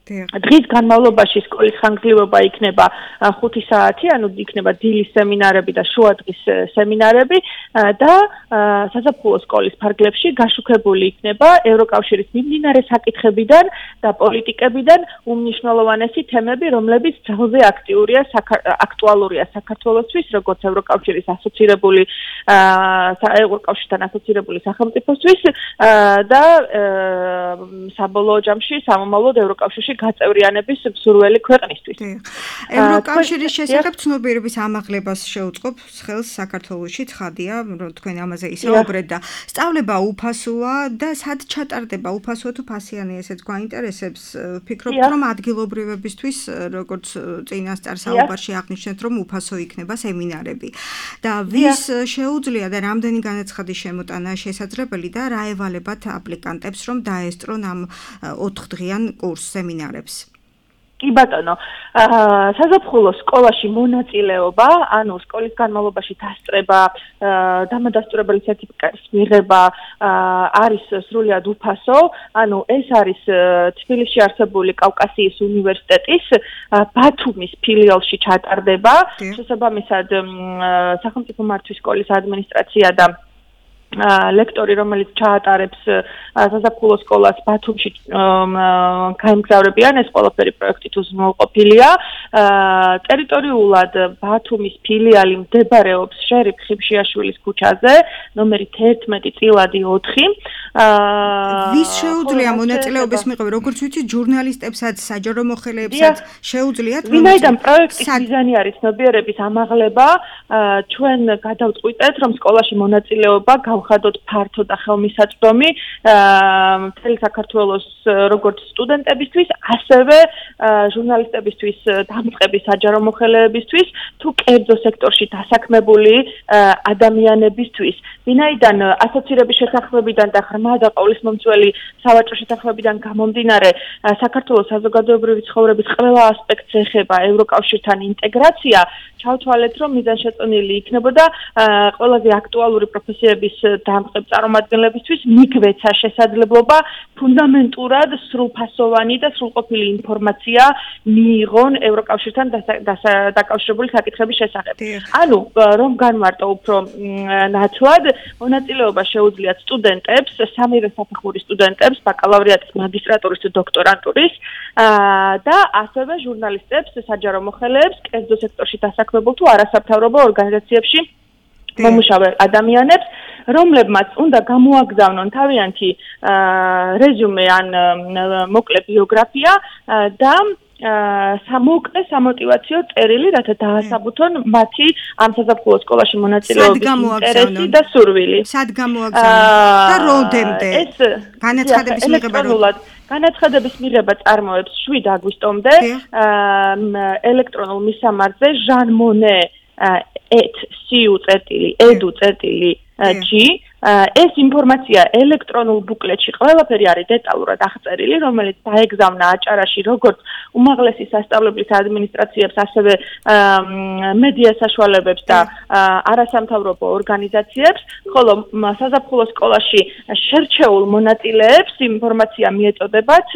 დღის განმავლობაში სკოლის ხანგრძლივობა იქნება ხუთი საათი, ანუ იქნება დილის სემინარები და შუადღის სემინარები და საზაფხულო სკოლის ფარგლებში გაშუქებული იქნება ევროკავშირის მიმდინარე საკითხებიდან და პოლიტიკებიდან უმნიშვნელოვანესი თემები, რომლებიც ძალზე აქტიურია აქტუალურია საქართველოსთვის, როგორც ევროკავშირის ასოცირებული ევროკავშირთან ასოცირებული სახელმწიფოსთვის და საბოლოო ჯამში სამომავლოდ ევროკავშირში გაწევრიანების მსურველი ქვეყნისთვის. ევროკავშირის შესახებ ცნობიერების ამაღლებას შეუწყობს ხელს საქართველოში, ცხადია, რომ თქვენ ამაზე ისაუბრეთ და სწავლება უფასოა და სად ჩატარდება უფასოა თუ ფასიანი, ესეც გვაინტერესებს. ვფიქრობ, რომ ადგილობრივებისთვის, როგორც წინასწარ საუბარში აღნიშნეთ, რომ უფასო იქნება სემინარები. და ვის შეუძლია და რამდენი განაცხადის შემოტანა შესაძლებელი და რა ევალებათ აპლიკანტებს, რომ დაესწრონ ამ ოთხდღიან კურს სემინარს კი ბატონო, საზაფხულო სკოლაში მონაწილეობა, ანუ სკოლის განმავლობაში დასწრება, დამადასტურებელი სერტიფიკატის მიღება არის სრულიად უფასო, ანუ ეს არის თბილისში არსებული კავკასიის უნივერსიტეტის ბათუმის ფილიალში ჩატარდება, შესაბამისად სახელმწიფო მართვის სკოლის ადმინისტრაცია და ლექტორი, რომელიც ჩაატარებს საზაფხულო სკოლას ბათუმში გაემგზავრებიან, ეს ყველაფერი პროექტით უზრუნველყოფილია. ტერიტორიულად ბათუმის ფილიალი მდებარეობს შერიფ ხიფშიაშვილის ქუჩაზე, ნომერი თერთმეტი წილადი ოთხი. ვის შეუძლია მონაწილეობის მიღება, როგორც ვიცით, ჟურნალისტებსაც, საჯარო მოხელეებსაც შეუძლიათ, რომ ვინაიდან პროექტის მიზანი არის ცნობიერების ამაღლება, ჩვენ გადავწყვიტეთ, რომ სკოლაში მონაწილეობა გავხადოთ ფართო და ხელმისაწვდომი მთელი საქართველოს როგორც სტუდენტებისთვის, ასევე ჟურნალისტებისთვის, დამწყების საჯარო მოხელეებისთვის, თუ კერძო სექტორში დასაქმებული ადამიანებისთვის. ვინაიდან ასოცირების შესაძლებლობიდან და ღრმა და ყოვლისმომცველი სავაჭრო შესაძლებლობიდან გამომდინარე, საქართველოს საზოგადოებრივი ცხოვრების ყველა ასპექტს ეხება ევროკავშირთან ინტეგრაცია, ჩავთვალეთ, რომ მიზანშეწონილი იქნებოდა ყველაზე აქტუალური პროფესიების დამწყებ წარმომადგენლებისთვის მიგვეცა შესაძლებლობა ფუნდამენტურად სრულფასოვანი და სრულყოფილი ინფორმაცია მიიღონ ევროკავშირთან დაკავშირებული საკითხების შესახებ. ანუ რომ განვარტო უფრო ნათლად, მონაწილეობა შეუძლიათ სტუდენტებს, სამივე საფეხურის სტუდენტებს, ბაკალავრიატის, მაგისტრატურის თუ დოქტორანტურის და ასევე ჟურნალისტებს, საჯარო მოხელეებს, კერძო სექტორში დასაქმებულ თუ არასამთავრობო ორგანიზაციებში მომუშავე ადამიანებს, რომლებმაც უნდა გამოაგზავნონ თავიანთი რეზუმე ან მოკლე ბიოგრაფია და სამოკლე სამოტივაციო წერილი, რათა დაასაბუთონ მათი ამ საზაფხულო სკოლაში მონაწილეობის ინტერესი და სურვილი. სად გამოაგზავნონ და რომდემდე? ეს განაცხადების მიღება განაცხადების მიღება წარმოებს შვიდ აგვისტომდე ელექტრონულ მისამართზე ჟანმონე et siu წერტილი edu წერტილი g ეს ინფორმაცია ელექტრონულ ბუკლეტში ყველაფერი არის დეტალურად აღწერილი, რომელიც დაეგზავნა აჭარაში როგორც უმაღლესი სასწავლებლის ადმინისტრაციებს, ასევე მედია საშუალებებს და არასამთავრობო ორგანიზაციებს, ხოლო საზაფხულო სკოლაში შერჩეულ მონაწილეებს ინფორმაცია მიეწოდებათ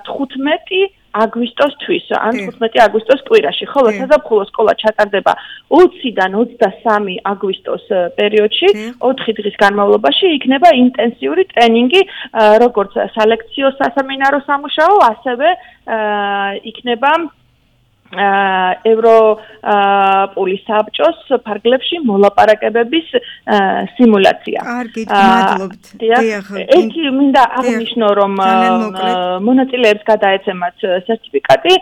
თხუთმეტი აგვისტოსთვის, ან თხუთმეტი აგვისტოს კვირაში, ხოლო საზაფხულო სკოლა ჩატარდება ოციდან ოცდასამი აგვისტოს პერიოდში, ოთხი დღის განმავლობაში იქნება ინტენსიური ტრენინგი, როგორც სალექციო სასემინარო სამუშაო, ასევე იქნება ევროპული საბჭოს ფარგლებში მოლაპარაკებების სიმულაცია. კარგი, მადლობთ. დიახ, ერთი მინდა აღნიშნო, რომ მონაწილეებს გადაეცემათ სერტიფიკატი,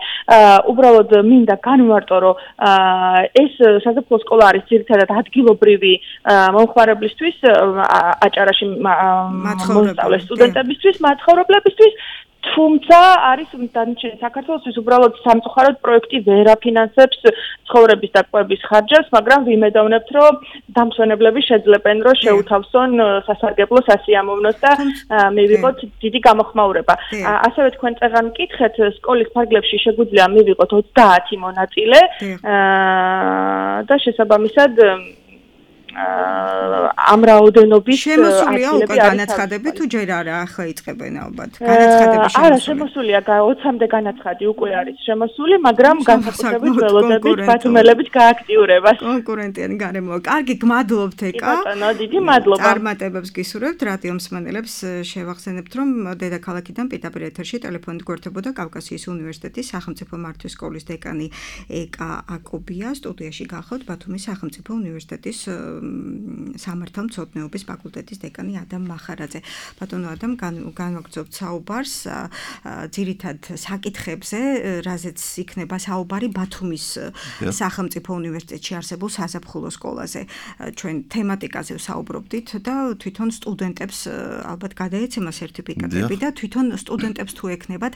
უბრალოდ მინდა განვარტო, რომ ეს საზაფხულო სკოლა არის ძირითადად ადგილობრივი მომხმარებლისთვის, აჭარაში მოსწავლე სტუდენტებისთვის, მაცხოვრებლებისთვის, თუმცა არის დანარჩენი საქართველოსთვის უბრალოდ სამწუხაროდ პროექტი ვერ აფინანსებს ცხოვრების და კვების ხარჯებს, მაგრამ ვიმედოვნებთ, რომ დამსვენებლები შეძლებენ, რომ შეუთავსონ სასარგებლო სასიამოვნოს და მივიღოთ დიდი გამოხმაურება. ასევე თქვენ წეღან მკითხეთ, სკოლის ფარგლებში შეგვიძლია მივიღოთ ოცდაათი მონაწილე და შესაბამისად ამ რაოდენობის შემოსულია უკვე განაცხადები თუ ჯერ არა ახლა იწყებენ ალბათ განაცხადები შემოსულია არა შემოსულია ოცამდე განაცხადი უკვე არის შემოსული მაგრამ განსაკუთრებით ველოდებით ბათუმელებით გააქტიურებას კონკურენტიანი გარემოა კარგი გმადლობთ ეკა ბატონო დიდი მადლობა წარმატებებს გისურვებთ რადიო მსმენელებს შევახსენებთ რომ დედაქალაქიდან პირდაპირ ეთერში ტელეფონით გვერდებოდა კავკასიის უნივერსიტეტის სახელმწიფო მართვის სკოლის დეკანი ეკა აკობია სტუდიაში გახავთ ბათუმის სახელმწიფო უნივერსიტეტის სამართალმცოდნეობის ფაკულტეტის დეკანი ადამ მახარაძე. ბატონო ადამ განვაგრძობთ საუბარს ძირითად საკითხებზე, რაზეც იქნება საუბარი ბათუმის სახელმწიფო უნივერსიტეტში არსებულ საზაფხულო სკოლაზე. ჩვენ თემატიკაზე ვსაუბრობდით და თვითონ სტუდენტებს ალბათ გადაეცემა სერტიფიკატები და თვითონ სტუდენტებს თუ ექნებათ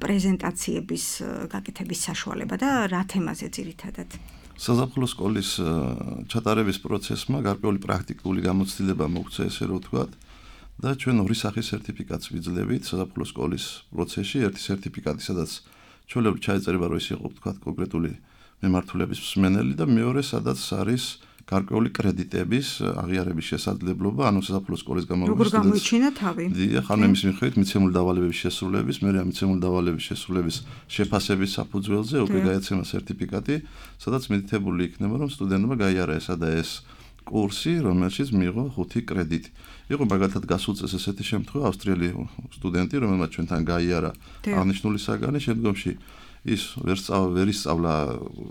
პრეზენტაციების გაკეთების საშუალება და რა თემაზე ძირითადად? საზაფხულო სკოლის ჩატარების პროცესმა გარკვეული პრაქტიკული გამოცდილება მოგვცა, ესე რომ ვთქვათ, და ჩვენ ორი სახის სერტიფიკატს ვიძლევით საზაფხულო სკოლის პროცესში, ერთი სერტიფიკატი, სადაც ჩვეულებრივ ჩაეწერება, რომ ის იყო, ვთქვათ, კონკრეტული მემართულების მსმენელი და მეორე, სადაც არის გარკვეული კრედიტების აღიარების შესაძლებლობა, ანუ საზაფხულო სკოლის გამოგონების. როგორ გამოიჩინა თავი? დიახ, ანუ იმის მიხედვით მიცემული დავალებების შესრულების, მერე ამ მიცემული დავალებების შესრულების შეფასების საფუძველზე უკვე გაეცემა სერტიფიკატი, სადაც მითითებული იქნება, რომ სტუდენტმა გაიარა ესა და ეს კურსი, რომელშიც მიიღო ხუთი კრედიტი. იყო მაგალითად გასულ წელს ესეთი შემთხვევა, ავსტრიელი სტუდენტი, რომელმაც ჩვენთან გაიარა აღნიშნული საგანი, შემდგომში ის ვერ ვერ ისწავლა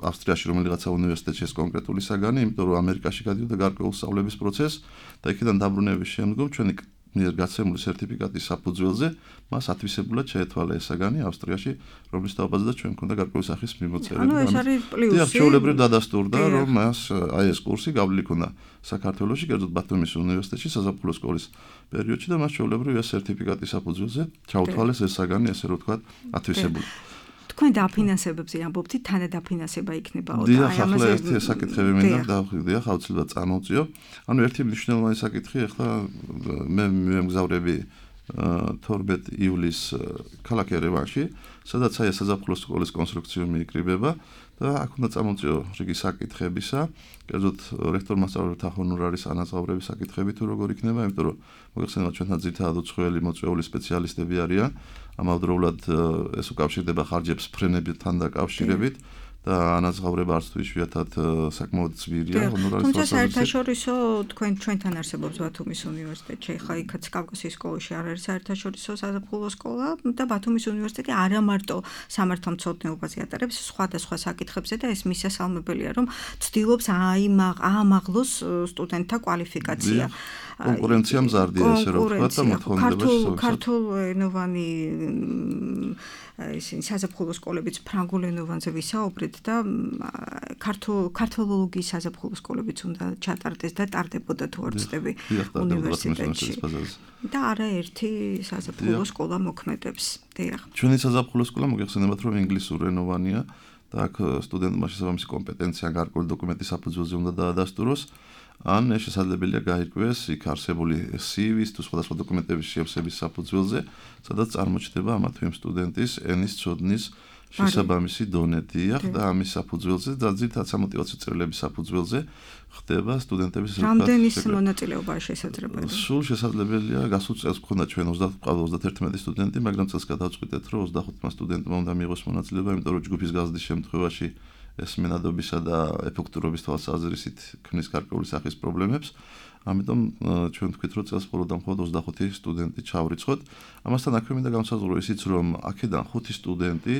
ავსტრიაში რომელიღაცა უნივერსიტეტში ეს კონკრეტული საგანი, იმიტომ რომ ამერიკაში გადიოდა გარკვეულ სწავლების პროცესს და იქიდან დაბრუნების შემდგომ ჩვენი მიერ გაცემული სერტიფიკატის საფუძველზე მას ათვისებულად შეეთვალა ეს საგანი ავსტრიაში, რომლის თავაზადაც ჩვენ მქონდა გარკვეული სახის მიმოწერები. ანუ ეს არის პლუსი. დიახ, ჩვეულებრივ დადასტურდა, რომ მას აი ეს კურსი გავლილი ქონდა საქართველოში, კერძოდ ბათუმის უნივერსიტეტში საზაფხულო სკოლის პერიოდში და მას ჩვეულებრივ ეს სერტიფიკატის საფუძველზე ჩაუთვალეს ეს საგანი, ესე რომ ვთქვათ, ათვისებული. თქვენ დაფინანსებებზე ამბობთ, თანადაფინანსება იქნებაო და აი ამაზე ერთი საკითხები მინდა დავხვიდე, ახლა აუცილებლად წარმოვწიო. ანუ ერთი მნიშვნელოვანი საკითხი, ახლა მე მემგზავრები თორმეტ ივლისს ქალაქ ერევანში, სადაც აი საზაფხულო სკოლის კონსტრუქცია მიიკრიბება და აქ უნდა წარმოვწიო რიგი საკითხებისა, კერძოდ რექტორ-მასწავლებელთა ჰონორარის ანაზღაურების საკითხები თუ როგორ იქნება, იმიტომ რომ მოგეხსენებათ ჩვენთან ძირითადად უცხოელი მოწვეული სპეციალისტები არიან, ამავდროულად ეს უკავშირდება ხარჯებს ფრენებთან დაკავშირებით და ანაზღაურება არც თუ იშვიათად საკმაოდ ძვირია ჰონორარის თვალსაზრისით. თუმცა საერთაშორისო თქვენ ჩვენთან არსებობს ბათუმის უნივერსიტეტში, ხა იქაც კავკასიის სკოლაში არ არის საერთაშორისო საზაფხულო სკოლა და ბათუმის უნივერსიტეტი არა მარტო სამართალმცოდნეობაზე ატარებს სხვადასხვა საკითხებზე და ეს მისასალმებელია, რომ ცდილობს აამაღლოს სტუდენტთა კვალიფიკაცია. კონკურენცია მზარდია ესე რომ ვთქვა და მოთხოვნებაში ქართულენოვანი ისინი საზაფხულო სკოლებიც ფრანგულ ენოვანზე ვისაუბრეთ და ქართულ ქართოლოგიის საზაფხულო სკოლებიც უნდა ჩატარდეს და ტარდებოდა თუ არ ვცდები უნივერსიტეტში და არაერთი საზაფხულო სკოლა მოქმედებს. დიახ. ჩვენი საზაფხულო სკოლა მოგეხსენებათ რომ ინგლისურენოვანია და აქ სტუდენტმა შესაბამისი კომპეტენცია გარკვეული დოკუმენტის საფუძველზე უნდა დაადასტუროს. ან შესაძლებელია გაირკვიეს იქ არსებული სი-ვის თუ სხვადასხვა დოკუმენტების შეავსების საფუძველზე, სადაც წარმოჩნდება ამა თუ იმ სტუდენტის ენის ცოდნის შესაბამისი დონე. დიახ, და ამის საფუძველზე და ძირითადად სამოტივაციო წერილების საფუძველზე ხდება სტუდენტების რამდენი მონაწილეობაა შესაძლებელი? სულ შესაძლებელია გასულ წელს გქონდა ჩვენ ოცდაათი სტუდენტი, მაგრამ წელს გადავწყვიტეთ, რომ ოცდახუთმა სტუდენტმა უნდა მიიღოს მონაწილეობა, იმიტომ რომ ჯგუფის გაზრდის შემთხვევაში ეს მენადობისა და ეფექტურობის თვალსაზრისით ქმნის გარკვეული სახის პრობლემებს. ამიტომ ჩვენ ვთქვით, რომ წელს მხოლოდ და მხოლოდ ოცდახუთი სტუდენტი ჩავრიცხოთ. ამასთან აქვე მინდა განსაზღვრო ისიც, რომ აქედან ხუთი სტუდენტი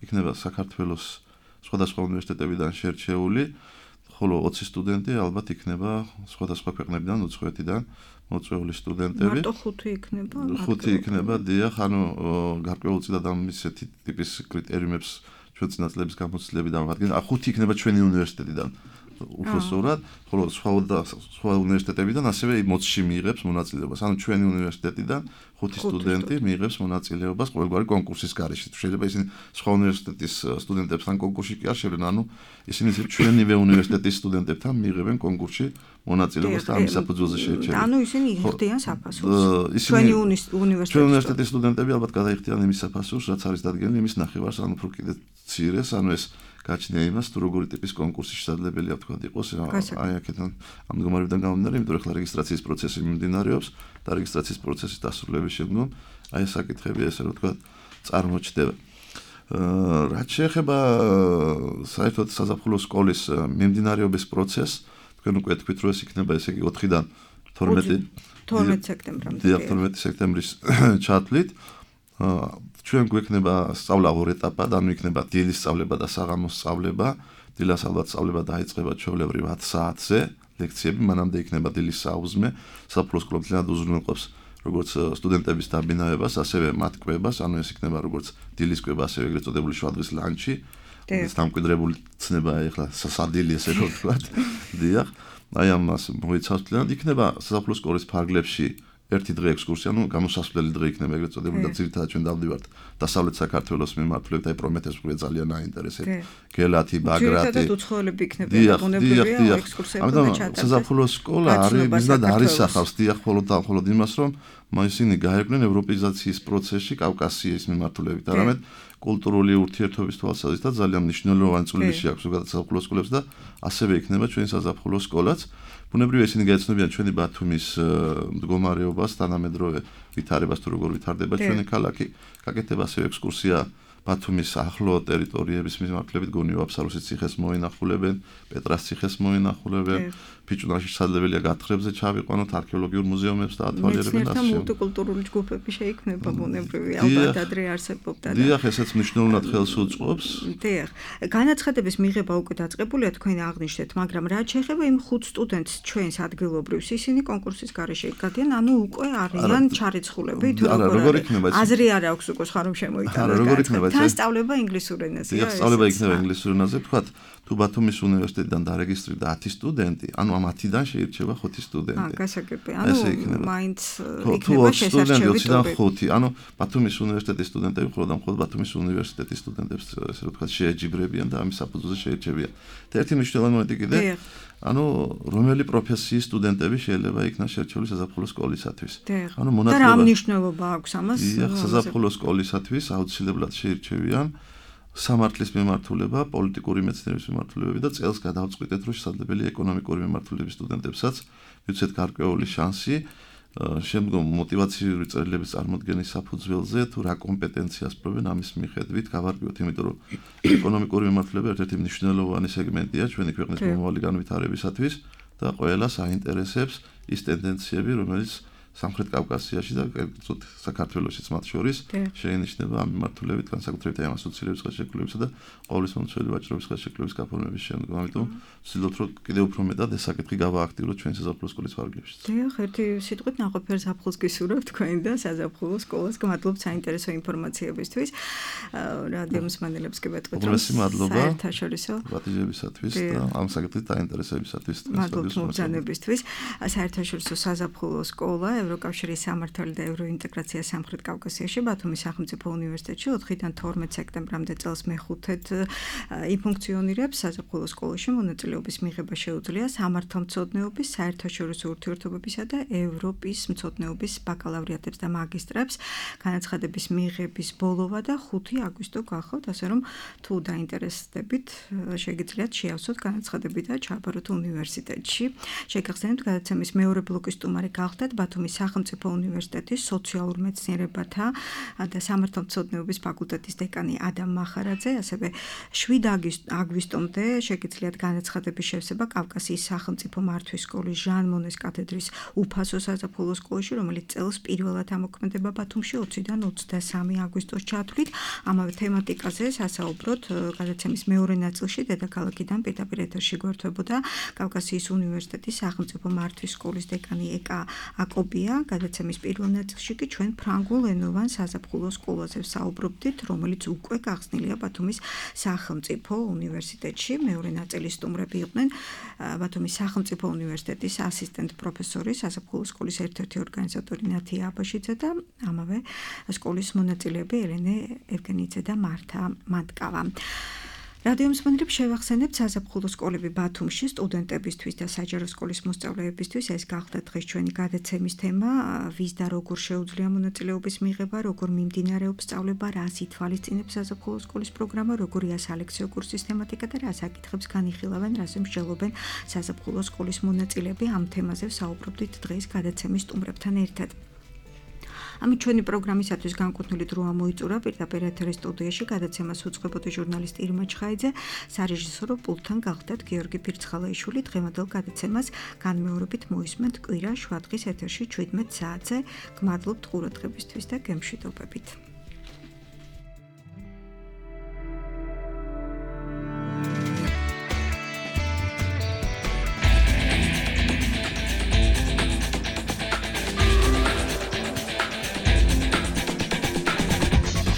იქნება საქართველოს სხვადასხვა უნივერსიტეტებიდან შერჩეული, ხოლო ოცი სტუდენტი ალბათ იქნება სხვადასხვა ქვეყნებიდან, უცხოეთიდან მოწვეული სტუდენტები. მარტო ხუთი იქნება? ხუთი იქნება, დიახ, ანუ გარკვეულწილად ამ ისეთი ტიპის კრიტერიუმებს ჩვენ წინაწლების გამოცდილებიდან ვადგენთ. ხუთი იქნება ჩვენი უნივერსიტეტიდან. უბრალოდ, ხოლო სხვა სხვა უნივერსიტეტებიდან ასევე მოცში მიიღებს მონაწილეობას. ანუ ჩვენი უნივერსიტეტიდან ხუთი სტუდენტი მიიღებს მონაწილეობას ყოველგვარი კონკურსის გარეშე. შეიძლება ისინი სხვა უნივერსიტეტის სტუდენტებთან კონკურსში კი არ შევლენ, ანუ ისინი ჩვენივე უნივერსიტეტის სტუდენტებთან მიიღებენ კონკურსში მონაწილეობას და ამის საფუძველზე შეირჩევიან. ანუ ისინი იხდიან საფასურს. ჩვენი უნივერსიტეტის ჩვენი უნივერსიტეტის სტუდენტები ალბათ გადაიხდიან იმის საფასურს, რაც არის დადგენილი იმის ნახევარს, ანუ უფრო კიდე მცირეს, ანუ ეს გაჩნია იმას, თუ როგორი ტიპის კონკურსი შესაძლებელია თქვა იყოს. აი აქედან ამ მდგომარეობიდან გამომდინარე, იმიტომ რომ ახლა რეგისტრაციის პროცესი მიმდინარეობს და რეგისტრაციის პროცესის დასრულების შემდგომ აი ეს საკითხები ესე რომ თქვა წარმოჩნდება. რაც შეეხება საერთოდ საზაფხულო სკოლის მიმდინარეობის პროცესს, თქვენ უკვე თქვით, რომ ეს იქნება ესე იგი ოთხიდან თორმეტი სექტემბრამდე. დიახ, თორმეტი სექტემბრის ჩათვლით. ჩვენ გვექნება სწავლა ორ ეტაპად, ანუ იქნება დილის სწავლება და საღამოს სწავლება. დილას ალბათ სწავლება დაიწყება ჩვეულებრივ ათი საათზე, ლექციები, მანამდე იქნება დილის საუზმე. საფუძვლო სკოლა ძალიან უზრუნველყოფს როგორც სტუდენტების დაბინავებას, ასევე მათ კვებას, ანუ ეს იქნება როგორც დილის კვება, ასევე ეგრეთ წოდებული შვადღის ლანჩი. ეს დამკვიდრებული ცნებაა ახლა საsadili ესე რომ ვთქვათ. დიახ, აი ამას მოიცავს ძალიან. იქნება საფუძვლო სკოლის ფარგლებში ერთი დღე ექსკურსია, ну, გამოსასვლელი დღე იქნება ეგრეთ წოდებული და ძირითადად ჩვენ დავდივართ დასავლეთ საქართველოს მიმართულებით, აი პრომეთეს უკვე ძალიან აინტერესებს. გელათი, ბაგრატი. ძირითადად უცხოელები იქნება ბუნებრივია ექსკურსიები და ჩატარდეს. საზაფხულო სკოლა არის მიზნად არის ახავს დიახ, მხოლოდ და მხოლოდ იმას, რომ ისინი გაერკვნენ ევროპიზაციის პროცესში კავკასიის მიმართულებით, არამედ კულტურული ურთიერთობის თვალსაზრისით ძალიან მნიშვნელოვანი წვლილი აქვს ზოგადად საზაფხულო სკოლებს და ასევე იქნება ჩვენი საზაფხულო სკოლაც. ბუნებრივია ისინი გაეცნობიან ჩვენი ბათუმის მდგომარეობას, თანამედროვე ვითარებას თუ როგორ ვითარდება ჩვენი ქალაქი. გაკეთდება ასევე ექსკურსია ბათუმის ახლო ტერიტორიების მიმართულებით, გონიო აფსაროსის ციხეს მოინახულებენ, პეტრას ციხეს მოინახულებენ, ფიჭვნარში შესაძლებელია გათხრებზე ჩავიყვანოთ, არქეოლოგიურ მუზეუმებს და ათვალიერებენ და ასე. მულტიკულტურული ჯგუფები შეიქმნება ბუნებრივია, ალბათ ადრე არსებობდა და დიახ, ესეც მნიშვნელოვნად ხელს უწყობს. დიახ, განაცხადების მიღება უკვე დაწყებულია, თქვენ აღნიშნეთ, მაგრამ რაც შეეხება იმ ხუთ სტუდენტს ჩვენს ადგილობრივს, ისინი კონკურსის გარეშე gadien, ანუ უკვე არიან ჩარიცხულები, თუ როგორ არის. აზრი არ აქვს უკვე სხვა რომ შემოიტანოს. თან სწავლება ინგლისურ ენაზე. დიახ, სწავლება იქნება ინგლისურ ენაზე, ვთქვათ, თუ ბათუმის უნივერსიტეტიდან დარეგისტრირდა ათი სტუდენტი, ანუ ამ ათიდან შეირჩევა ხუთი სტუდენტი. აა, გასაგები. ანუ მაინც იქნება შესაძლებელი ხუთი. ანუ ბათუმის უნივერსიტეტის სტუდენტები მხოლოდ და მხოლოდ ბათუმის უნივერსიტეტის სტუდენტებს ესე რომ ვთქვათ შეეჯიბრებიან და ამის საფუძველზე შეირჩევიან. და ერთი მნიშვნელოვანი მომენტი კიდე, ანუ რომელი პროფესიის სტუდენტები შეიძლება იქნას შერჩეული საზაფხულო სკოლისათვის. ანუ მონაწილეობა. და რა მნიშვნელობა აქვს ამას? დიახ, საზაფხულო სკოლისათვის აუცილებლად შეირჩევიან სამართლის მიმართულება, პოლიტიკური მეცნიერების მიმართულებები და წელს გადავწყვიტეთ, რომ შესაძლებელია ეკონომიკური მიმართულების სტუდენტებსაც მივცეთ გარკვეული შანსი შემდგომ мотиваციური წერილების წარმოდგენის საფუძველზე თუ რა კომპეტენციას პრობენ ამის მიხედვით გავარკვიოთ, იმიტომ რომ ეკონომიკური მიმართულება ერთ-ერთი მნიშვნელოვანი სეგმენტია ჩვენი ქვეყნის მომავალი განვითარებისათვის და ყველას აინტერესებს ის ტენდენციები, რომელიც სამხრეთ კავკასიაში და კერძოდ საქართველოშიც მათ შორის შეინიშნება ამ მიმართულებით, განსაკუთრებით ამ ასოცირების ხელშეკრულებისა და ყოვლისმომცველი ვაჭრობის ხელშეკრულების გაფორმების შემდგომ. ამიტომ ვცდილობთ, რომ კიდევ უფრო მეტად ეს საკითხი გავააქტიუროთ ჩვენი საზაფხულო სკოლის ვარგლებშიც. დიახ, ერთი სიტყვით ნაყოფიერ ზაფხულს გისურვებთ თქვენ და საზაფხულო სკოლას გმადლობთ საინტერესო ინფორმაციებისთვის. რადიო მსმენელებს გებატყვით, რომ საერთაშორისო პატიჟებისათვის და ამ საკითხით დაინტერესებისათვის მადლობთ მობრძანებისთვის. საერთაშორისო საზაფხულო სკოლა ევროკავშირის სამართალი და ევროინტეგრაცია სამხრეთ კავკასიაში ბათუმის სახელმწიფო უნივერსიტეტში ოთხიდან თორმეტ სექტემბრამდე წელს მეხუთედ იფუნქციონირებს. საზაფხულო სკოლაში მონაწილეობის მიღება შეუძლია სამართალმცოდნეობის, საერთაშორისო ურთიერთობებისა და ევროპის მცოდნეობის ბაკალავრიატებს და მაგისტრებს. განაცხადების მიღების ბოლოვა და ხუთი აგვისტო გახავთ, ასე რომ თუ დაინტერესდებით, შეგიძლიათ შეავსოთ განაცხადები და ჩააბაროთ უნივერსიტეტში. შეგახსენებთ, გადაცემის მეორე ბლოკის სტუმარი გახდათ ბათუმის სახელმწიფო უნივერსიტეტის სოციალურ მეცნიერებათა და სამართალმცოდნეობის ფაკულტეტის დეკანი ადამ მახარაძე, ასევე შვიდ აგვისტომდე შეგიძლიათ განაცხადების შევსება კავკასიის სახელმწიფო მართვის სკოლის ჟან მონეს კათედრის უფასო საზაფხულო სკოლაში, რომელიც წელს პირველად ამოქმედება ბათუმში ოციდან ოცდასამი აგვისტოს ჩათვლით. ამავე თემატიკაზე სასაუბროთ გადაცემის მეორე ნაწილში დედაქალაქიდან პირდაპირ ეთერში გვერდებოდა კავკასიის უნივერსიტეტის სახელმწიფო მართვის სკოლის დეკანი ეკა აკობია. გადაცემის პირველ ნაწილში კი ჩვენ ფრანგულენოვან საზაფხულო სკოლაზე ვსაუბრობდით, რომელიც უკვე გახსნილია ბათუმის სახელმწიფო უნივერსიტეტში. მეორე ნაწილის სტუმრები იყვნენ ბათუმის სახელმწიფო უნივერსიტეტის ასისტენტ პროფესორი, საზაფხულო სკოლის ერთ-ერთი ორგანიზატორი ნათია აბაშიძე და ამავე სკოლის მონაწილეები ელენე ევგენიძე და მართა მანტკავა. რადიო მსმენელებს შევახსენებთ, საზაფხულო სკოლები ბათუმში სტუდენტებისთვის და საჯარო სკოლის მოსწავლეებისთვის ეს გახდა დღეს ჩვენი გადაცემის თემა. ვის და როგორ შეუძლია მონაწილეობის მიღება, როგორ მიმდინარეობს სწავლება, რას ითვალისწინებს საზაფხულო სკოლის პროგრამა, როგორია სალექციო კურსის თემატიკა და რა საკითხებს განიხილავენ, რაზე მსჯელობენ საზაფხულო სკოლის მონაწილეები. ამ თემაზე ვსაუბრობდით დღეს გადაცემის სტუმრებთან ერთად. ამით ჩვენი პროგრამისათვის განკუთვნილი დრო ამოიწურა. პირდაპირ ეთერის სტუდიაში გადაცემას უძღვებოდა ჟურნალისტი ირმა ჩხაიძე, სარეჟისორო პულტთან გახდათ გიორგი ფირცხალაიშვილი. დღევანდელ გადაცემას განმეორებით მოისმენთ კვირა შვადღის ეთერში შვიდმეტ საათზე. გმადლობთ ყურადღებისთვის და გემშვიდობებით.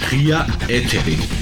ღია ეთერი